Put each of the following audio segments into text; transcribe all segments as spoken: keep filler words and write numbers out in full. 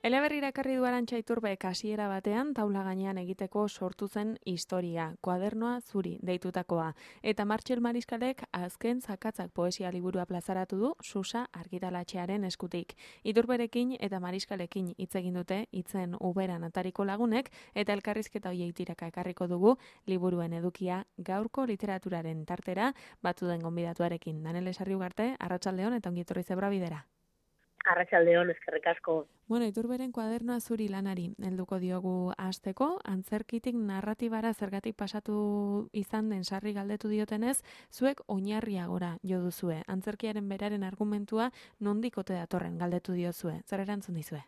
Eleberrira ekarri du Arantxa Iturbek hasiera batean taula gainean egiteko sortu zen historia, Koadernoa zuri deitutakoa. Eta Martxel Mariskalek azken zakatzak poesia liburua plazaratu du Susa argitalatxearen eskutik. Iturberekin eta Mariskalekin hitz egin dute hitzen uberan atariko lagunek eta elkarrizketa hoiei tiraka ekarriko dugu liburuen edukia gaurko literaturaren tartera batu den gonbidatuarekin. Danele Sarriugarte, arratsaldeon eta ongi etorri Zebra Bidera. Arratsaldeon, eskerrik asko. Bueno, Iturberen Koadernoa zuri lanari helduko diogu hasteko, antzerkitik narratibara zergatik pasatu izan den sarri galdetu diotenez, zuek oinarria gora jo duzue. Antzerkiaren beraren argumentua nondik ote datorren galdetu diozue. Zer erantzun dizue?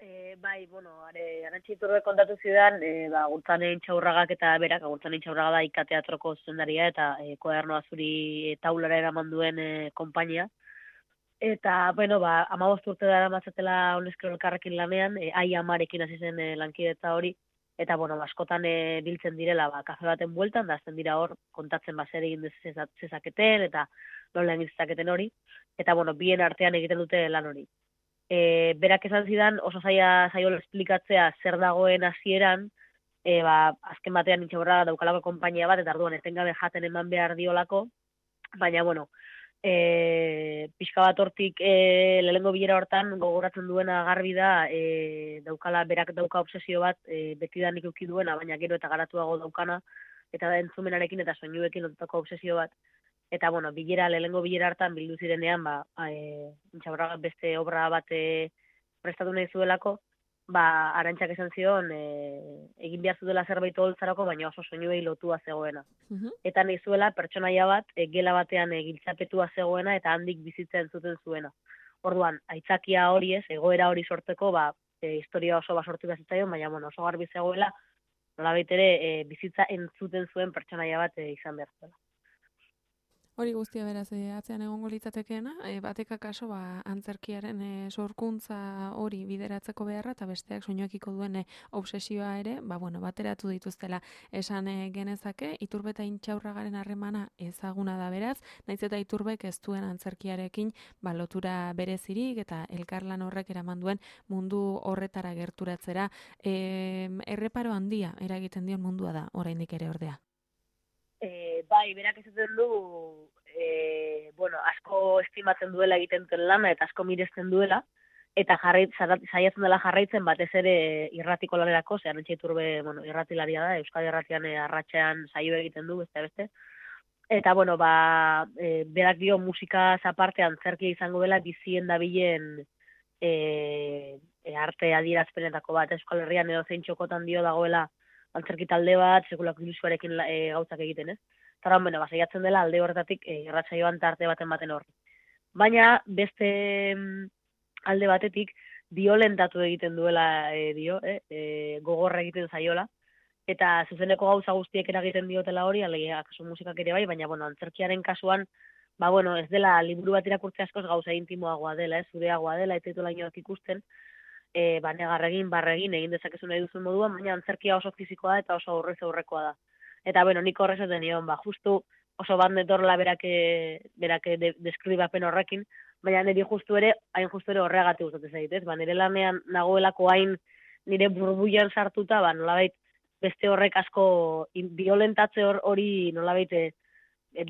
E, bai, bueno, are, Arantxa Iturbek kontatu zidan, e, ba, Agurtzanen Txaurragak eta berak, Agurtzanen Txaurraga da ikateatroko zuzendaria eta e, Koadernoa zuri e, taulara eraman duen e, konpainia. Eta, bueno, ba, amabost urte dara mazatela honezkero elkarrekin lanean, e, ai amarekin hasi zen e, lankidetza hori, eta, bueno, askotan e, biltzen direla, ba, kafe baten bueltan, da azten dira hor, kontatzen ba, zer egin zezaketen, eta nola egin zezaketen hori, eta, bueno, bien artean egiten dute lan hori. E, berak esan zidan, oso zaila zaiola esplikatzea zer dagoen hasieran, e, ba, azken batean Intxaurra daukalako konpainia bat, eta arduan etengabe jaten eman behar diolako, baina, bueno, E, pixka bat hortik e, lehengo bilera hortan gogoratzen duena garbi da e, daukala, berak dauka obsesio bat e, betidanik euki duena, baina gero eta garatuago daukana, eta da entzumenarekin eta soinuekin lotutako obsesio bat. Eta, bueno, bilera, lehengo bilera hartan bildu zirenean, ba, e, Intxaurragak beste obra bat e, prestatu nahi zuelako, ba, Arantxak esan zion, e, egin behar zutela zerbait holtzarako, baina oso soinuei lotua zegoena. Mhm. Eta nahi zuela pertsonaia bat e, gela batean e, giltzapetua zegoena eta handik bizitzen zuten zuena. Orduan, aitzakia hori ez, egoera hori sortzeko, ba, e, historia oso basortu bezitzaion, baina bueno, oso garbi zegoela, nolabait ere e, bizitza entzuten zuen pertsonaia bat e, izan behar zuela. Hori guztia beraz, e, atzean egongo litzatekeena, e, batek akaso ba, antzerkiaren e, sorkuntza hori bideratzeko beharra eta besteak soinuekiko duen e, obsesioa ere, ba, bueno, bateratu dituztela esan e, genezake, Iturbe eta Intxaurragaren harremana ezaguna da beraz, naiz eta Iturbek ez duen antzerkiarekin ba, lotura berezirik eta elkarlan horrek eraman duen mundu horretara gerturatzera, e, erreparo handia eragiten dion mundua da, oraindik ere ordea. E, bai, berak esaten du, e, bueno, asko estimatzen duela egiten duen lana eta asko miresten duela, eta jarrait, saiatzen dela jarraitzen batez ere irratiko lanerako, ze Arantxa Iturbe, bueno, irratilaria da, Euskadi Irratian e, arratsean saio egiten du, beste beste. Eta, bueno, ba, e, berak dio musika aparte antzerkia izango dela bizien dabilen e, e, arte adierazpenetako bat, Euskal Herrian edo zein txokotan dio dagoela antzerki talde bat, sekulako ilusioarekin e, gauzak egiten, ez? Eta, bueno, basaiatzen dela alde horretatik e, irratsaioan tarte baten baten horri. Baina, beste alde batetik, biolentatu egiten duela e, dio, eh? e, gogorra egiten zaiola, eta zuzeneko gauza guztiek eragiten diotela hori, alegia, kasu musikak ere bai, baina, bueno, antzerkiaren kasuan, ba, bueno, ez dela, liburu bat irakurtze askoz gauza intimoagoa dela, ez, zureagoa dela, eta dituela inoak ikusten, e, ba, negarregin, barregin, egin dezakezu nahi duzun moduan, baina antzerkia oso fizikoa da eta oso aurrez aurrekoa da. Eta, bueno, nik horrezaten nion, ba, justu oso bat netorla berake, berake de, deskribapen horrekin, baina niri justu ere, hain justu ere horregatik gustatzen zait, ez? Ba, nire lanean nagoelako hain nire burbuian sartuta, ba, nolabait, beste horrek asko violentatze hori nolabait e,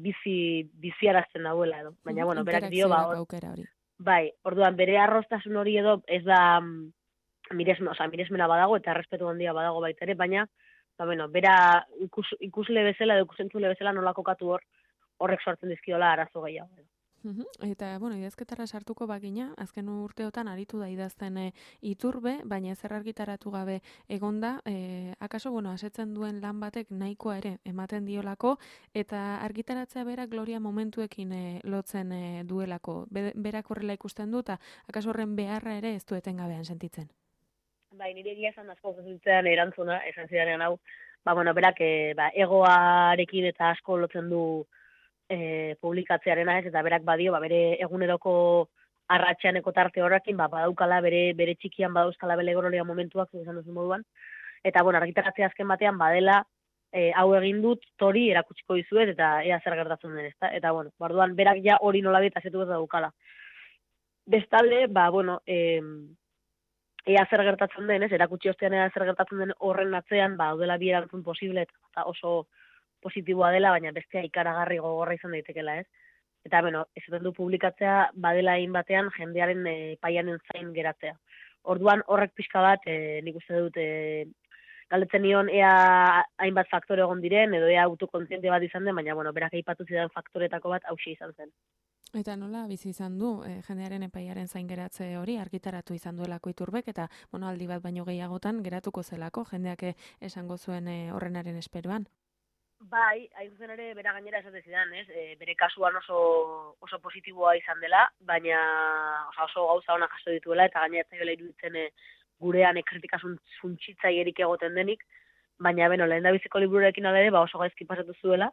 bizi biziarazten dauela edo. Baina, bueno, berak dio, ba, aukera hori. Bai, orduan, bere arrostasun hori edo ez da miresmena, oza, miresmena badago eta errespetu handia badago baita ere, baina, ba, bueno, bera ikus, ikusle bezala edo ikusentzule bezala nola kokatu hor, horrek sortzen dizkiola arazo gehiago. Eta, bueno, idazketara sartuko bagina, azken urteotan aritu da idazten e, Iturbe, baina ezer argitaratu gabe egonda, e, akaso, bueno, asetzen duen lan batek nahikoa ere ematen diolako, eta argitaratzea berak gloria momentuekin e, lotzen e, duelako. Be, berak horrela ikusten du, eta akaso horren beharra ere ez du etengabean sentitzen. Bai, nire egia esan asko zutzean erantzuna, esan zidanean hau, ba, bueno, berak e, ba, egoarekin eta asko lotzen du E, publikatzearena ez, eta berak badio, ba, bere eguneroko arratxeaneko tarte horrekin, ba, badaukala bere, bere txikian badauzkala bere gorolia momentuak, zuzan duzu moduan, eta, bueno, argitaratzea azken batean, badela, e, hau egin dut, tori erakutsiko dizuet, eta ea zer gertatzen den, ezta? Eta, bueno, barduan, berak ja hori nolabait azetu ez daukala. Bestalde, ba, bueno, e, ea zer gertatzen den, ez, erakutsi ostean ea zer gertatzen den horren atzean, ba, daudela bi erantzun posible, eta oso positiboa dela, baina bestea ikaragarri gogorra izan daitekela, ez? Eta, bueno, esaten du publikatzea, badela egin batean, jendearen e, paianen zain geratzea. Orduan, horrek pixka bat, e, nik uste dut, e, galdetzen nion, ea hainbat faktore egon diren, edo ea autokontziente bat izan den, baina, bueno, berak aipatu zidan faktoretako bat hauxe izan zen. Eta nola bizi izan du e, jendearen epaiaren zain geratze hori argitaratu izan duelako Iturbek, eta bueno, aldi bat baino gehiagotan geratuko zelako jendeak esango zuen e, horrenaren esperoan. Bai, hain zuzen ere, bera gainera esate zidan, ez? E, bere kasuan oso, oso positiboa izan dela, baina oso, oso gauza ona jaso dituela, eta gainera etzaiola iruditzen e, gurean ekritika zuntxitzaierik egoten denik, baina, beno, lehen da biziko libururekin alere, ba oso gaizki pasatu zuela,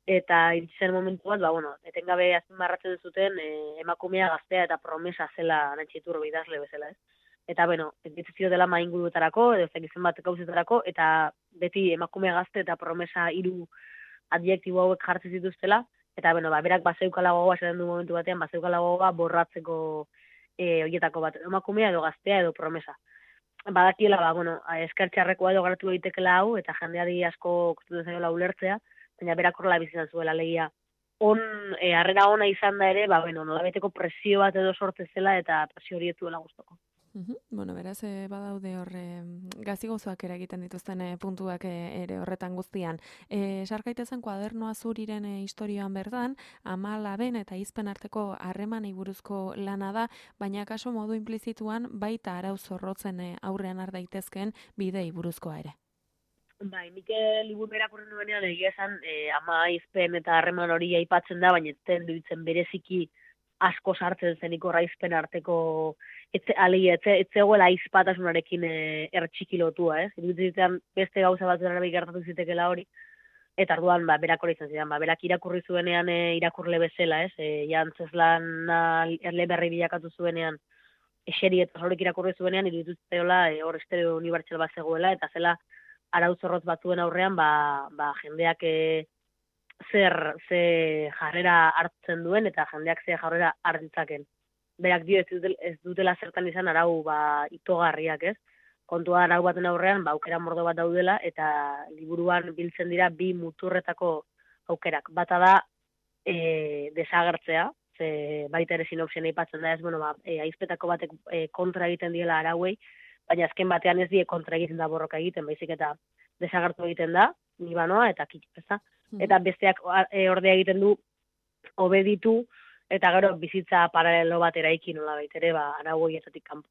eta iritsi momentu bat, ba, bueno, etengabe azpimarratzen zuten e, emakumea gaztea eta promesa zela Arantxa idazle bezala, ez? Eta, bueno, entzizio dela mainguruetarako, edo zekizen bat gauzetarako, eta beti emakume gazte eta promesa hiru adjektibo hauek jartzen zituztela, eta, bueno, ba, berak bazeukala gogoa, esaten du momentu batean, bazeukala gogoa borratzeko e, horietako bat, emakumea edo gaztea edo promesa. Badakiela, ba, bueno, eskertxarrekoa edo garatu egitekeela hau, eta jendeari asko kostutzen zaiola ulertzea, baina berak horrela bizitzen zuela legia. On, e, harrera ona izan da ere, ba, bueno, nolabeteko presio bat edo sortze zela, eta presio hori ez duela gustoko. Uhum. Bueno, beraz, e, badaude horre gazi gozoak eragiten dituzten e, puntuak e, ere horretan guztian. E, Sarkaitezen kuadernoa zuriren e, historioan berdan, ama laben eta izpen arteko harremanei buruzko lana da, baina kaso modu implizituan baita arau zorrotzen e, aurrean har daitezkeen bidei buruzkoa ere. Bai, nik liburu irakurri nuenean egia esan e, ama izpen eta harreman hori aipatzen da, baina ez duitzen bereziki asko sartzen zenik horraizpen arteko etze, alegia, etze, etzegoela aizpatasunarekin e, ertxikilotua, ez? Iruditzen beste gauza bat zerabi gertatu zitekela hori, eta arduan, ba, berak hori izan zidan, ba, berak irakurri zuenean e, irakurle bezala, ez? E, jantzeslan erle berri bilakatu zuenean, eseri eta horrek irakurri zuenean, iruditzeola e, hor estereo unibertsal bat zegoela, eta zela arau zorrotz batzuen aurrean, ba, ba, jendeak e, zer ze jarrera hartzen duen eta jendeak ze jarrera hartzaken. Berak dio ez, dutela, ez dutela zertan izan arau ba itogarriak, ez? Kontua arau baten aurrean ba aukera mordo bat daudela eta liburuan biltzen dira bi muturretako aukerak. Bata da e, desagertzea, ze baita ere sinopsian aipatzen da ez, bueno, ba e, aizpetako batek e, kontra egiten diela arauei, baina azken batean ez die kontra egiten da borroka egiten, baizik eta desagertu egiten da, nibanoa eta kitz, ezta? Eta besteak e, ordea egiten du obeditu eta gero bizitza paralelo bat eraiki nola baitere, ba, arau horietatik kanpo.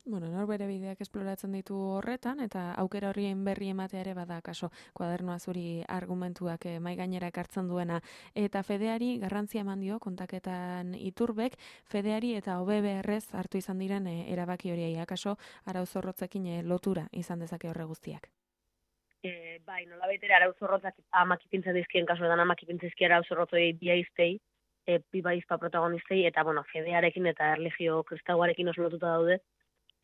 Bueno, nor bere bideak esploratzen ditu horretan, eta aukera horien berri ematea ere bada kaso kuadernoa zuri argumentuak eh, mai gainera ekartzen duena. Eta fedeari garrantzia eman dio kontaketan Iturbek, fedeari eta O B B R-ez hartu izan diren eh, erabaki horiei, akaso arau zorrotzekin eh, lotura izan dezake horre guztiak. E, bai, nola baitere arau zorrotzak amak ipintzen dizkien kasuetan amak ipintzen dizkien arau zorrotzei biaiztei, e, piba izpa protagonistei, eta, bueno, fedearekin eta erlijio kristauarekin oso lotuta daude.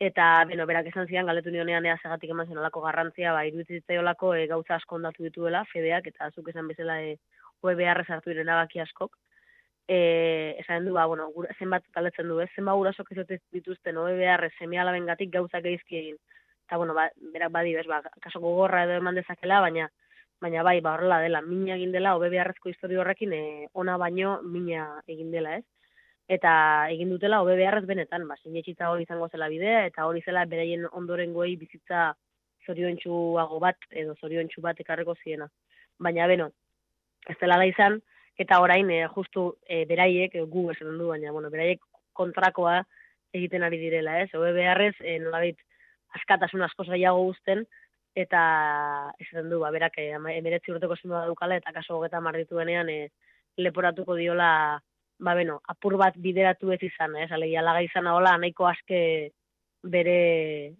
Eta, beno, berak esan zidan, galdetu nionean ea segatik eman zen olako garrantzia, ba, iruditzen zitzaiolako e, gauza asko ondatu dituela, fedeak, eta azuk esan bezala e, O B B R sartu diren abaki askok. E, esan du, ba, bueno, gura, zenbat galdetzen du, ez? Zenbat gurasok ez dituzten O B B R seme alabengatik gauzak geizki egin. Eta, bueno, ba, berak badi, bez, ba, kaso gogorra edo eman dezakela, baina, baina bai, ba, horrela dela, mina egin dela, O B B R-ezko historio horrekin, e, ona baino mina egin dela, ez? Eta egin dutela O B B R-ez benetan, ba, sinetxitza hori izango zela bidea, eta hori zela beraien ondorengoei bizitza zoriontsuago bat, edo zoriontsu bat ekarreko ziena. Baina, beno, ez dela da izan, eta orain, e, justu e, beraiek, e, gu esan du, baina, bueno, beraiek kontrakoa egiten ari direla, ez? O B B R-ez, e, nolabait, askatasun asko zailago guzten, eta esaten du, ba, berak emeretzi urteko zenba dukala, eta kaso hogeta mardituenean e, leporatuko diola, ba, beno, apur bat bideratu ez izan, ez, alegia laga izan hola, nahiko aske bere,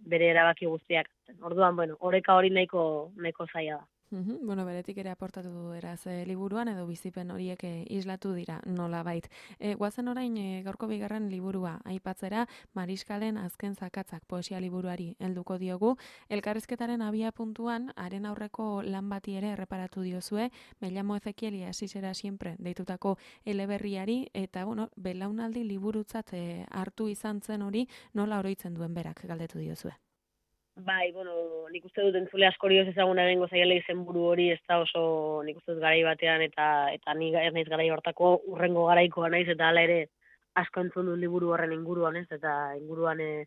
bere erabaki guztiak. Orduan, bueno, oreka hori nahiko, nahiko zaila da. Mhm, bueno, beretik ere aportatu du eraz e, liburuan edo bizipen horiek e, islatu dira nolabait. E, guazen orain e, gaurko bigarren liburua aipatzera Mariskalen azken zakatzak poesia liburuari helduko diogu. Elkarrizketaren abia puntuan haren aurreko lan bati ere erreparatu diozue, Me llamo Ezequiel y así será siempre deitutako eleberriari eta bueno, belaunaldi liburutzat e, hartu izan zen hori nola oroitzen duen berak galdetu diozue. Bai, bueno, nik uste dut entzule askori ez ezaguna egingo zaiela izenburu hori, ez da oso nik uste dut garai batean, eta eta ni ez naiz garai hortako urrengo garaikoa naiz, eta hala ere asko entzun dut liburu horren inguruan, ez, eta inguruan eh,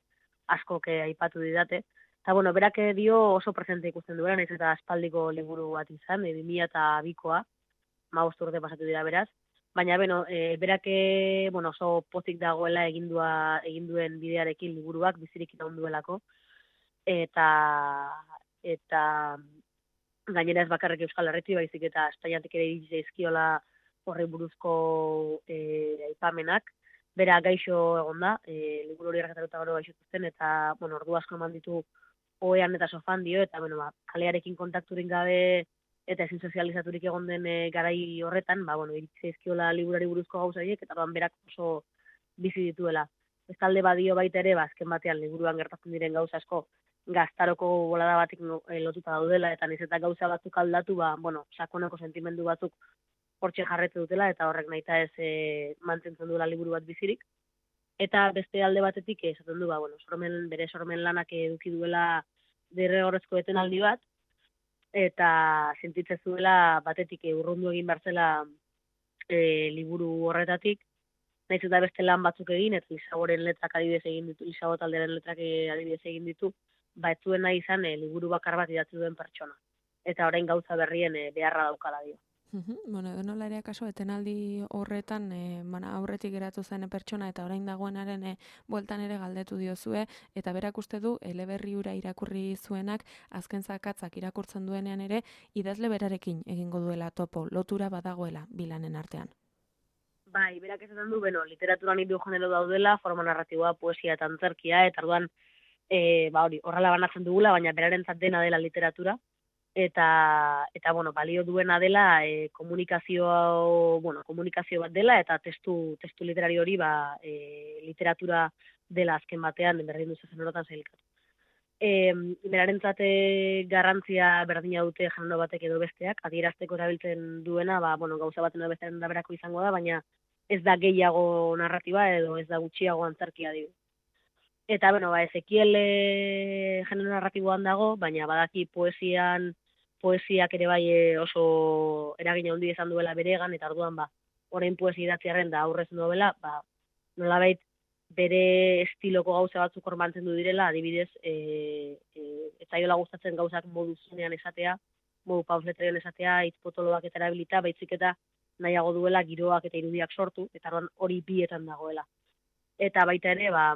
askok eh, aipatu didate. Eta, bueno, berak eh, dio oso presente ikusten duela, naiz eta aspaldiko liburu bat izan, e, bi mila bikoa, hamabost urte pasatu dira beraz, baina, beno, e, berak eh, bueno, oso pozik dagoela egindua, eginduen bidearekin liburuak bizirik iraun duelako, eta eta gainera ez bakarrik Euskal Herritik, baizik eta Espainiatik ere iritsi zaizkiola horri buruzko e, aipamenak. Bera gaixo egon da, e, liburu hori argitaruta gero gaixotu zen, eta bueno, ordu asko eman ditu ohean eta sofan dio, eta bueno, ba, kalearekin kontakturik gabe eta ezin sozializaturik egon den e, garai horretan, ba, bueno, iritsi zaizkiola liburari buruzko gauza horiek, eta ban berak oso bizi dituela. Bestalde badio baita ere, ba, azken batean liburuan gertatzen diren gauza asko gaztaroko bolada batik lotuta daudela, eta niz eta gauza batzuk aldatu, ba, bueno, sakoneko sentimendu batzuk hortxe jarretu dutela, eta horrek nahita ez e, mantentzen duela liburu bat bizirik. Eta beste alde batetik esaten du, ba, bueno, sormen, bere sormen lanak eduki duela derrigorrezko etenaldi bat, eta sentitzen zuela batetik urrundu egin barzela e, liburu horretatik, nahiz eta beste lan batzuk egin, eta Lisaboren letrak adibidez egin ditu, Lisabo talderen letrak adibidez egin ditu, ba ez zuen nahi izan e, liburu bakar bat idatzi duen pertsona. Eta orain gauza berrien e, beharra daukala dio. Uhum, bueno, edo nola ere akaso, etenaldi horretan e, mana, aurretik geratu zen pertsona eta orain dagoenaren e, bueltan ere galdetu diozue, eta berak uste du eleberri hura irakurri zuenak azken zakatzak irakurtzen duenean ere idazle berarekin egingo duela topo, lotura badagoela bilanen artean. Bai, berak esaten du, beno, literaturan hiru genero daudela, forma narratiboa, poesia eta antzerkia, eta orduan, e, ba hori, horrela banatzen dugula, baina berarentzat dena dela literatura, eta, eta bueno, balio duena dela e, komunikazio, bueno, komunikazio bat dela, eta testu, testu literari hori, ba, e, literatura dela azken batean, berdin duzu zen horotan zailkatu. E, berarentzat garrantzia berdina dute genero batek edo besteak, adierazteko erabiltzen duena, ba, bueno, gauza baten edo bestearen da berako izango da, baina ez da gehiago narratiba edo ez da gutxiago antzerkia dio. Eta, bueno, ba, Ezekiel e, genero narratiboan dago, baina badaki poesian, poesiak ere bai oso eragina handi izan duela beregan, eta orduan, ba, orain poesia idatziarren da aurrez novela, ba, nolabait bere estiloko gauza batzuk hor mantendu direla, adibidez, e, e, ez zaiola gustatzen gauzak modu zunean esatea, modu pausletreen esatea, hitz potoloak eta erabilita, baitzik eta nahiago duela giroak eta irudiak sortu, eta hori bietan dagoela. Eta baita ere, ba,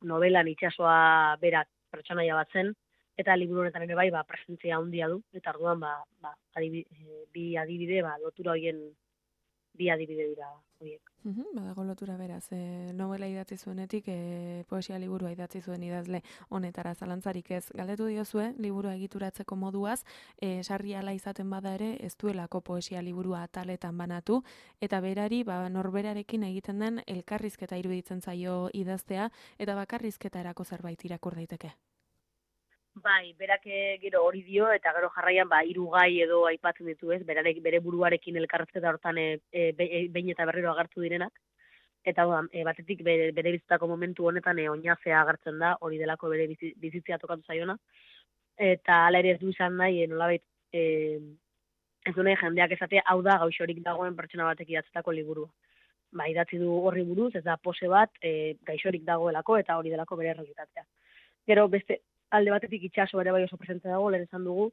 novelan itsasoa berak pertsonaia bat zen, eta liburu honetan ere bai, ba, presentzia handia du, eta orduan, ba, ba, adibide, bi adibide, ba, lotura hoien bi adibide dira horiek. Uhum, badago lotura beraz, e, novela idatzi zuenetik, e, poesia liburua idatzi zuen idazle honetara zalantzarik ez. Galdetu diozue, liburua egituratzeko moduaz, e, sarri ala izaten bada ere, ez duelako poesia liburua ataletan banatu, eta berari, ba, norberarekin egiten den elkarrizketa iruditzen zaio idaztea, eta bakarrizketa erako zerbait irakur daiteke. Bai, berak gero hori dio, eta gero jarraian, ba, hiru gai edo aipatzen ditu ez, berarek, bere buruarekin elkarrezketa hortan e, e, behin eta berriro agertu direnak, eta e, batetik bere, bere bizitako momentu honetan e, oinazea agertzen da, hori delako bere bizitzia tokatu zaiona, eta ala ere ez du izan nahi, e, nolabait, e, ez du nahi jendeak esatea, hau da gaixorik dagoen pertsona batek idatzetako liburua. Ba, idatzi du horri buruz, ez da pose bat, e, gaixorik dagoelako, eta hori delako bere errealitatea. Gero beste, alde batetik itxaso ere bai oso presente dago, lehen esan dugu,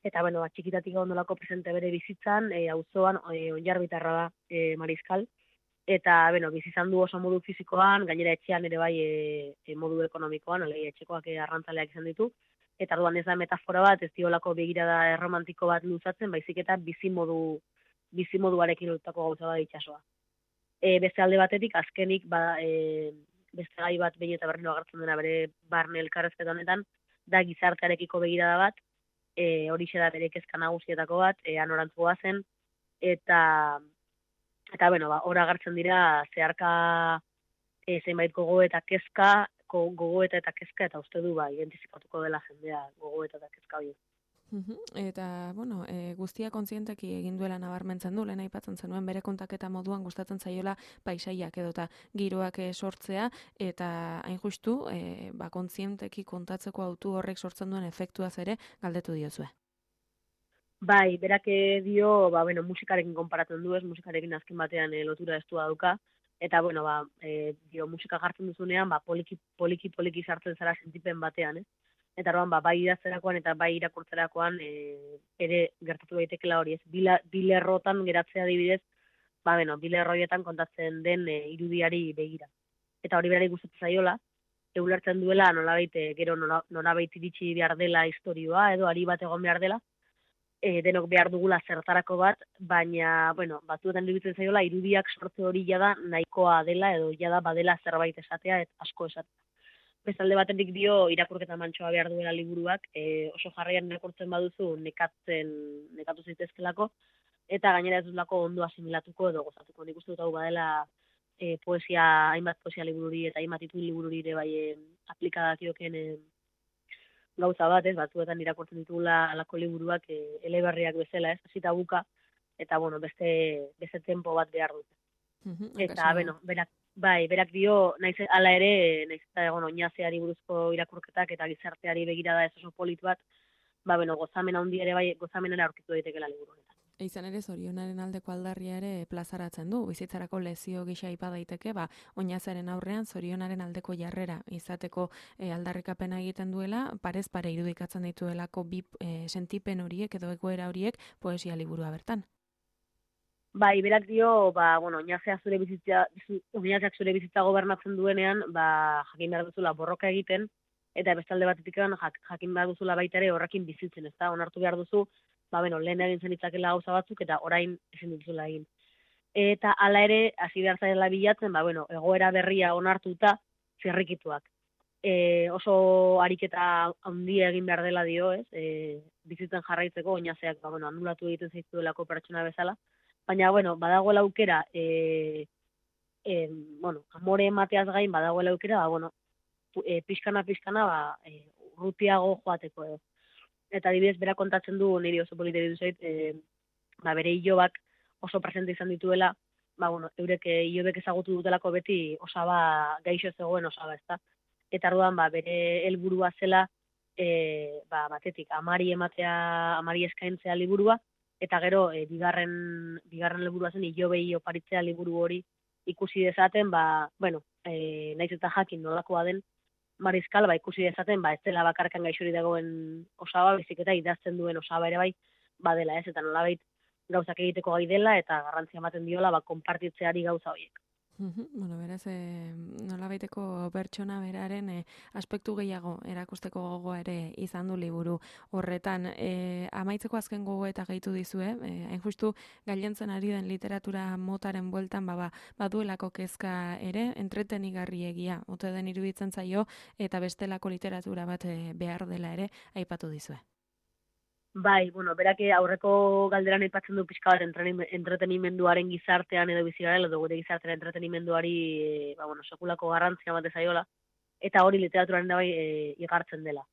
eta, bueno, txikitatik ondolako presente bere bizitzan, e, auzoan, e, onjarbitarra da e, Mariskal, eta, bueno, bizizan du oso modu fizikoan, gainera etxean ere bai e, e, modu ekonomikoan, alei etxekoak e, arrantzaleak izan ditu, eta orduan ez da metafora bat, ez diolako begirada erromantiko bat luzatzen, baizik eta bizimodu, bizimoduarekin lutako gauza da itxasoa. E, beste alde batetik, azkenik, ba, e, beste gai bat behin eta berriro agertzen dena bere barne elkarrezketa honetan, da gizartearekiko begirada bat, e, horixe da bere kezka nagusietako bat, e, anorantzu zen, eta, eta bueno, ba, hor agertzen dira zeharka e, zenbait gogo eta kezka, gogo eta eta kezka, eta uste du, ba, identifikatuko dela jendea gogo eta eta kezka hori. Uhum. Eta, bueno, e, guztia kontzienteki egin duela nabarmentzen du, lehen aipatzen zenuen bere kontaketa moduan gustatzen zaiola paisaiak edota giroak e, sortzea, eta hain justu, e, ba, kontzienteki kontatzeko autu horrek sortzen duen efektuaz ere galdetu diozue. Bai, berak dio, ba, bueno, musikarekin konparatzen du ez, musikarekin azken batean e, lotura estua dauka, eta, bueno, ba, e, dio, musika jartzen duzunean, ba, poliki, poliki, poliki sartzen zara sentipen batean, ez? Eta orduan, ba, bai idazterakoan eta bai irakurtzerakoan e, ere gertatu daitekela hori, ez? Bila, bilerrotan geratzea adibidez, ba, bueno, bilerroietan kontatzen den e, irudiari begira. Eta hori berari gustatzen zaiola, eulertzen duela nolabait gero nolabait iritsi behar dela istorioa edo ari bat egon behar dela, e, denok behar dugula zertarako bat, baina, bueno, batzuetan iruditzen zaiola irudiak sortze hori jada nahikoa dela edo jada badela zerbait esatea eta asko esatea. Bestalde batetik dio irakurketa mantsoa behar duela liburuak, e, oso jarraian irakurtzen baduzu nekatzen, nekatu zitezkelako, eta gainera ez duzulako ondo asimilatuko edo gozatuko. Nik uste dut hau badela e, poesia, hainbat poesia libururi eta hainbat itul libururi ere bai e, aplikadakioken e, gauza bat, ez, batzuetan irakurtzen ditugula alako liburuak e, eleberriak bezala, ez, hasita buka, eta bueno, beste, beste tempo bat behar dute. Uhum, eta, bueno, berak, bai, berak dio, naiz hala ere, naiz eta egon oinazeari buruzko irakurketak eta gizarteari begirada ez oso polit bat, ba, bueno, gozamen handi ere bai, gozamenera aurkitu daiteke la liburu honetan. Izan ere, zorionaren aldeko aldarria ere plazaratzen du, bizitzarako lezio gisa aipa daiteke, ba, oinazaren aurrean zorionaren aldeko jarrera izateko e, aldarrikapena egiten duela, parez pare irudikatzen dituelako bi e, sentipen horiek edo egoera horiek poesia liburua bertan. Bai, berak dio, ba, bueno, oinazea zure bizitza, oinazeak zure bizitza gobernatzen duenean, ba, jakin behar duzula borroka egiten, eta bestalde batetik jak, jakin behar duzula baita ere horrekin bizitzen, ez da, onartu behar duzu, ba, bueno, lehen egin zen itzakela gauza batzuk, eta orain ezin duzula egin. Eta hala ere, hasi behar zaila bilatzen, ba, bueno, egoera berria onartuta, zirrikituak. E, oso ariketa handia egin behar dela dio, ez, e, bizitzen jarraitzeko, oinazeak, ba, bueno, anulatu egiten zaiztuelako pertsona bezala, baina, bueno, badagoela aukera, e, e, bueno, amore emateaz gain badagoela aukera, ba, bueno, e, pixkana, pixkana, ba, e, urrutiago joateko edo. Eta adibidez, bera kontatzen du, niri oso polite ditu zait, e, ba, bere ilobak oso presente izan dituela, ba, bueno, eurek ilobek ezagutu dutelako beti osaba gaixo zegoen osaba, ezta? Eta arduan, ba, bere helburua zela, e, ba, batetik, amari ematea, amari eskaintzea liburua, eta gero, e, bigarren, bigarren liburua zen, ilobei oparitzea liburu hori ikusi dezaten, ba, bueno, e, naiz eta jakin nolakoa den, Mariskal, ba, ikusi dezaten, ba, ez dela bakarkan gaixori dagoen osaba, bizik eta idazten duen osaba ere bai, badela ez, eta nolabait gauzak egiteko gai dela, eta garrantzia ematen diola, ba, konpartitzeari gauza horiek. Bueno, beraz, e, nolabaiteko pertsona beraren e, aspektu gehiago erakusteko gogoa ere izan du liburu horretan. E, amaitzeko azken gogo eta gehitu dizue, e, hain justu gailentzen ari den literatura motaren bueltan ba, ba, baduelako kezka ere, entretenigarri egia, ote den iruditzen zaio, eta bestelako literatura bat e, behar dela ere aipatu dizue. Bai, bueno, berak aurreko galderan aipatzen du pixka bat entretenimenduaren gizartean edo bizi garela, edo gure gizartean entretenimenduari, e, ba, bueno, sekulako garrantzia bat zaiola, eta hori literaturaren da bai e, igartzen dela.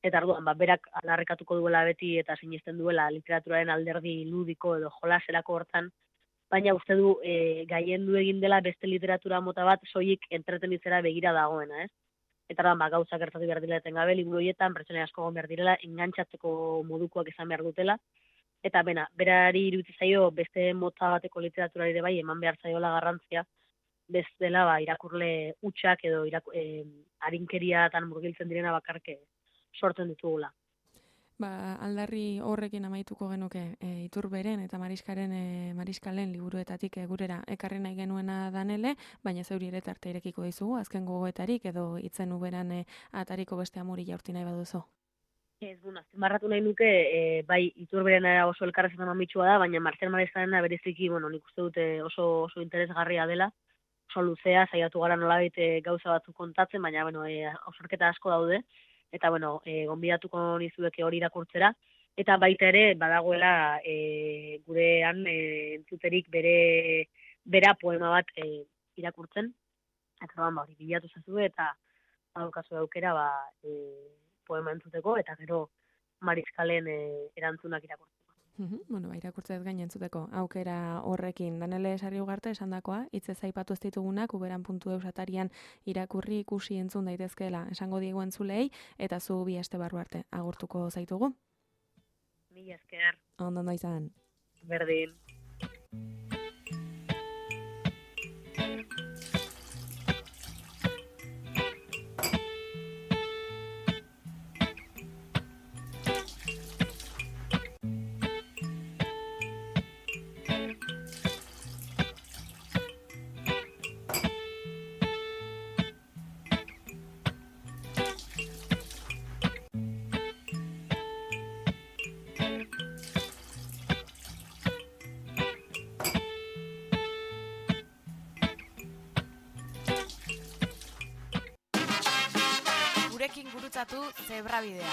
Eta arduan, ba, berak alarrikatuko duela beti eta sinesten duela literaturaren alderdi ludiko edo jolaserako hortan, baina uste du e, gaien du egin dela beste literatura mota bat soilik entretenitzera begira dagoena, ez? Eta ba, gauza gertatu behar dira etengabe, liburu horietan, pertsona asko egon behar direla, engantzatzeko modukoak izan behar dutela, eta bena, berari iruditzen zaio beste mota bateko literaturari ere bai, eman behar zaiola garrantzia, bestela ba, irakurle hutsak edo iraku, e, arinkeriatan murgiltzen direna bakarke sortzen ditugula. Ba, aldarri horrekin amaituko genuke e, Iturberen eta Mariskaren e, Mariskalen liburuetatik e, gurera ekarri nahi genuena danele, baina zeuri ere tarte irekiko dizugu, azken gogoetarik edo itzen uberan e, atariko beste amuri jaurti nahi baduzu. Ez, bueno, azpimarratu nahi nuke, e, bai, Iturberen oso elkarrezetan mamitsua da, baina Marcel Mariskaren bereziki, bueno, nik uste dute oso, oso interesgarria dela, oso luzea, saiatu gara nolabait e, gauza batzuk kontatzen, baina, bueno, e, osorketa asko daude, eta, bueno, e, gonbidatuko nizueke hori irakurtzera, eta baita ere badagoela e, gurean e, entzuterik bere bera poema bat e, irakurtzen, eta ba, hori bilatu zazu eta badaukazu aukera ba, e, poema entzuteko, eta gero Mariskalen e, erantzunak irakurtzeko. Uhum, bueno, ba, irakurtzez gain entzuteko aukera horrekin. Danele Sarri Ugarte esandakoa, hitzez aipatu ez ditugunak uberan puntu eus atarian irakurri ikusi entzun daitezkeela esango diegu entzulei, eta zu bi aste barru arte agurtuko zaitugu. Mila esker. Ondo ondo izan. Berdin. Gurekin gurutzatu Zebrabidea.